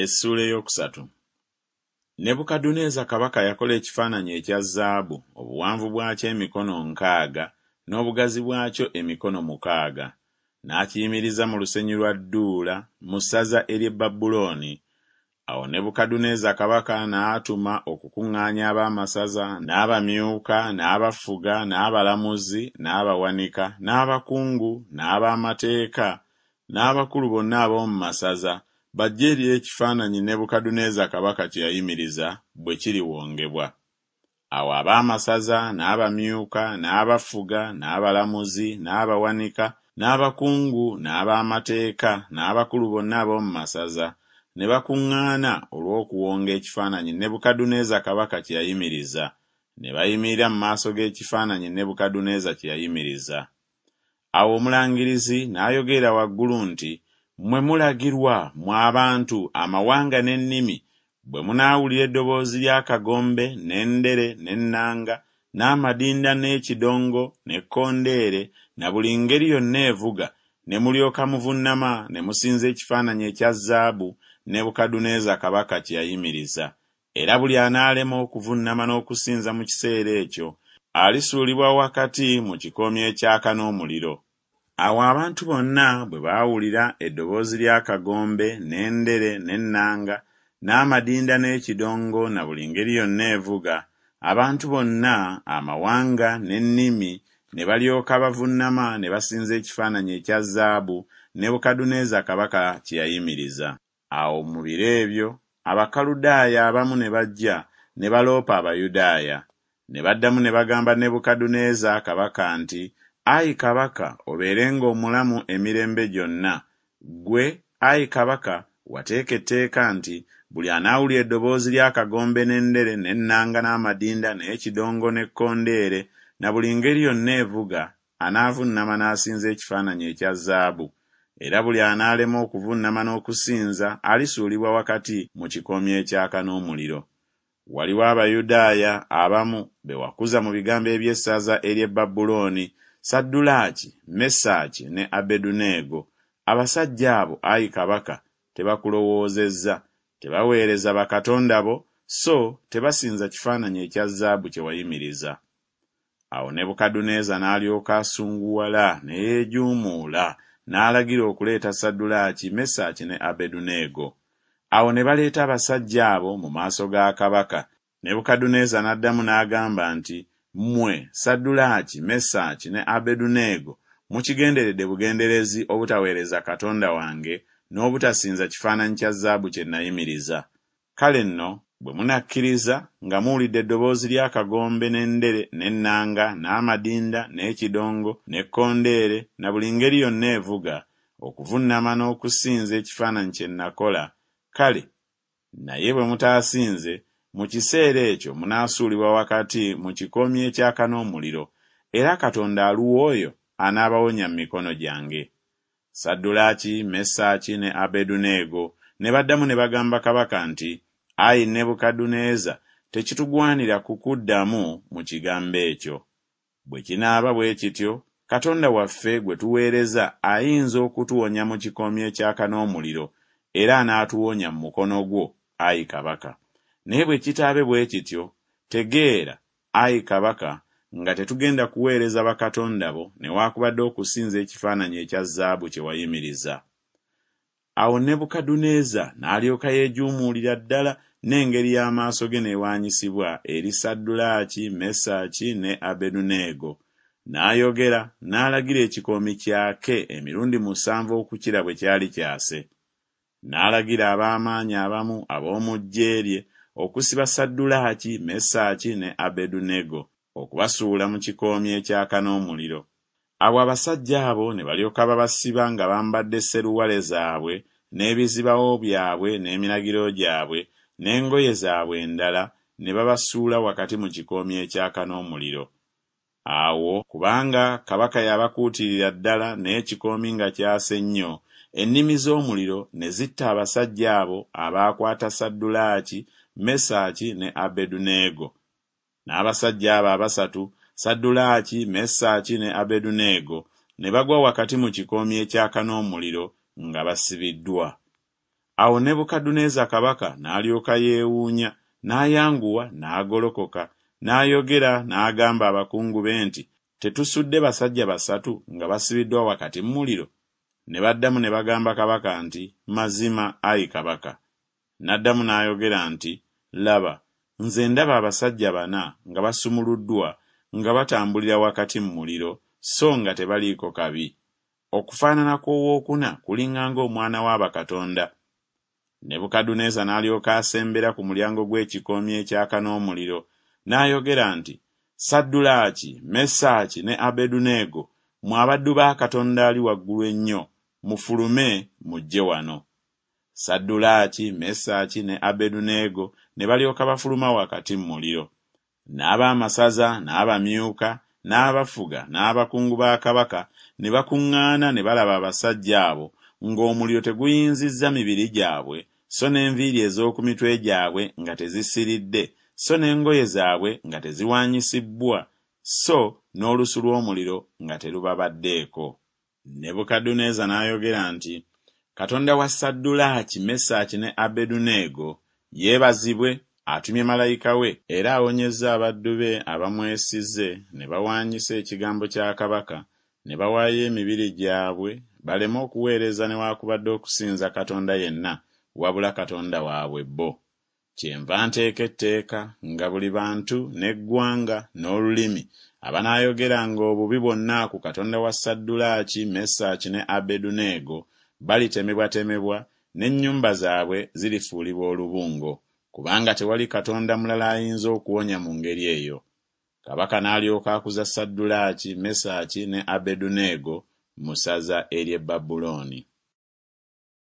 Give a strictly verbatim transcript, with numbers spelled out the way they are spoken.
Essuula ey'okusatu. Nebukadduneeza kabaka yakola ekifaananyi ekya zaabu, obuwanvu bwakyo emikono nkaaga, n'obugazi bwakyo emikono mukaaga. N'akiyimiriza mu lusenyi lwa Dduula mu ssaza ery'e Babulooni. Awo Nebukadduneeza kabaka n'atuma okukuŋŋaanya ab'amasaza, n'abamyuka, n'abafuga, n'abalamuzi, n'abawanika, n'abakungu, n'ab'amateeka, n'abakulu bonna ab'omu masaza, bajje eri ekifaananyi Nebukadduneeza kabaka kye yayimiriza bwe kiriwongebwa. Awo ab'amasaza, n'abamyuka, n'abafuga, n'abalamuzi, n'abawanika, n'abakungu, n'ab'amateeka, n'abakulu bonna ab'omu masaza, ne bakuŋŋaana olw'okuwonga ekifaananyi Nebukadduneeza kabaka kye yayimiriza, ne bayimirira mu maaso g'ekifaananyi Nebukadduneeza kye yayimiriza. Awo omulangirizi n'ayogerera waggulu nti, Mmwe mulagirwa, mmwe abantu, amawanga n'ennimi, bwe munaawulira eddoboozi ly'akagombe, n'endere, n'ennanga, n'amadinda n'ekidongo, n'ekkondeere, na buli ngeri yonna evuga, ne mulyoka muvunnama ne musinza ekifaananyi ekya zaabu Nebukadduneeza kabaka kye yayimiriza. Era buli anaalema okuvunnama n'okusinza mu kiseera ekyo, alisuulibwa wakati mu kikoomi ekyaka n'omuliro. Awo abantu bonna bwe baawulira eddoboozi ly'akagombe, n'endere, n'ennanga, n'amadinda n'ekidongo na buli ngeri yonna evuga, abantu bonna, amawanga n'ennimi ne balyoka bavunnama ne basinza ekifaananyi ekya zaabu Nebukadduneeza kabaka kye yayimiriza. Awo mu biro ebyo Abakaludaaya abamu ne bajja ne baloopa Abayudaaya. Ne baddamu ne bagamba Nebukadduneeza kabaka nti, Ayi kabaka, obeerenga omulamu emirembe gyonna. Ggwe, ayi kabaka, wateeka etteeka nti buli anaawulira eddoboozi ly'akagombe n'endere n'ennanga n'amadinda n'ekidongo n'ekkondeere na buli ngeri yonna evuga, anaavunnama n'asinza ekifaananyi ekya zaabu. Era buli anaalema okuvunnama n'okusinza alisuulibwa wakati mu kikoomi ekyaka n'omuliro. Waliwo Abayudaaya abamu be wakuza mu bigambo eby'essaza ery'e Babulooni, Saddulaaki, Mesaki ne Abeduneego. Abasajja abo, ayi kabaka, tebakulowoozezza, tebaweereza bakatonda bo, so tebasinza kifaananyi ekya zaabu kye wayimiriza. Awo Nebukadduneeza n'alyoka asunguwala ne yeejuumuula, n'alagira okuleeta Saddulaaki, Mesaki ne Abeduneego. Awo ne baleeta abasajja abo mu maaso ga kabaka. Nebukadduneeza n'addamu n'agamba nti, Mmwe, Saddulaaki, Mesaki ne Abeduneego, mukigenderedde bugenderezi obutaweereza Katonda wange n'obutasinza kifaananyi kya zaabu kye nayimiriza. Kale nno, bwe munakkiriza nga muwulidde eddoboozi ly'akagombe n'endere n'ennanga n'amadinda n'ekidongo n'ekkondeere na buli ngeri yonna evuga, okuvunnama n'okusinza ekifaananyi kye nakola, kale, naye bwe mutaasinze, mu kiseera ekyo munaasuulibwa wakati mu kikoomi ekyaka n'omuliro, era Katonda aluwa oyo anaabawonya mu mikono gyange? Saddulaaki, Mesaki ne Abeduneego ne baddamu ne bagamba kabaka nti, Ayi Nebukadduneeza, tekitugwanira kukuddamu mu kigambo ekyo. Bwe kinaaba bwe kityo, Katonda waffe gwe tuweereza ayinza okutuwonya mu kikoomi ekyaka n'omuliro, era anaatuwonya mu mukono gwo, ayi kabaka. Naye bwe kitaabe bwe kityo, tegeera, ayi kabaka, nga tetugenda kuweereza bakatonda bo newaakubadde okusinza ekifaananyi ekya zaabu kye wayimiriza. Awo Nebukadduneeza n'alyoka yeejuumuulira ddala n'engeri y'amaaso ge n'ewaanyisibwa eri Saddulaaki, Mesaki ne Abeduneego. N'ayogera n'alagira ekikoomi kyake emirundi musanvu okukira bwe kyali kyase. N'alagira ab'amaanyi abamu ab'omu ggye lye okusiba Saddulaaki, Mesaki ne Abeduneego, okubasuula mu kikoomi ekyaka n'omuliro. Awo abasajja abo ne balyoka babasiba nga bambadde seruwale zaabwe n'ebizibawo byabwe n'eminagiro gyabwe n'engoye zaabwe endala, ne babasuula wakati mu kikoomi ekyaka n'omuliro. Awo kubanga kabaka yabakuutirira ddala n'ekikoomi nga kyase nnyo, ennimi z'omuliro ne zitta abasajja abo abaakwata Saddulaaki, Mesaki ne Abeduneego. N'abasajja abo abasatu, Saddulaaki, Mesaki ne Abeduneego, ne bagwa wakati mu kikoomi ekyaka n'omuliro nga basibiddwa. Awo Nebukadduneeza kabaka n'alyoka yeewuunya, n'ayanguwa n'agolokoka, n'ayogera n'agamba abakungu be nti, Tetusudde basajja basatu nga basibiddwa wakati mu muliro? Ne baddamu ne bagamba kabaka nti, Mazima, ayi kabaka. N'addamu n'ayogera nti, Laba, nze ndaba abasajja bana nga basumuluddwa nga batambulira wakati mu muliro, so nga tebaliiko kabi. Okufaanana kw'owookuna kulinga ng'omwana wa bakatonda. Nebukadduneeza n'alyoka asembera ku mulyango gw'ekikoomi ekyaka n'omuliro, n'ayogera nti, Saddulaaki, Mesaki ne Abeduneego, mmwe abaddu ba Katonda Ali Waggulu Ennyo, mufulume mujje wano. Saddulaaki, Mesaki ne Abeduneego ne balyoka bafuluma wakati mu muliro. N'abaamasaza, n'abamyuka, n'abafuga, n'abakungu ba kabaka ne bakuŋŋaana ne balaba abasajja abo ng'omuliro teguyinzizza mibiri gyabwe, so n'enviiri ez'oku mitwe gyabwe nga tezisiridde, so n'engoye zaabwe nga teziwaanyisibbwa, so n'olusu lw'omuliro nga terubabaddeeko. Nebukadduneeza n'ayogera nti, Katonda wa Saddulaaki, Mesaki ne Abeduneego yeebazibwe, atumye malayika we, era awonyezza abaddu be abamwesize ne bawaanyisa ekigambo kya kabaka, ne bawaayo emibiri gyabwe baleme okuweereza newaakubadde okusinza katonda yenna wabula Katonda waabwe bo. Kyenva nteeka etteeka nga buli bantu n'eggwanga n'olulimi abanaayogeranga obubi bwonna ku Katonda wa Saddulaaki, Mesaki ne Abeduneego balitemebwatemebwa, n'ennyumba zaabwe zirifuulibwa olubungo, kubanga tewali katonda mulala ayinza okuwonya mu ngeri eyo. Kabaka n'alyoka akuza Saddulaaki, Mesaki ne Abeduneego mu ssaza ery'e Babulooni.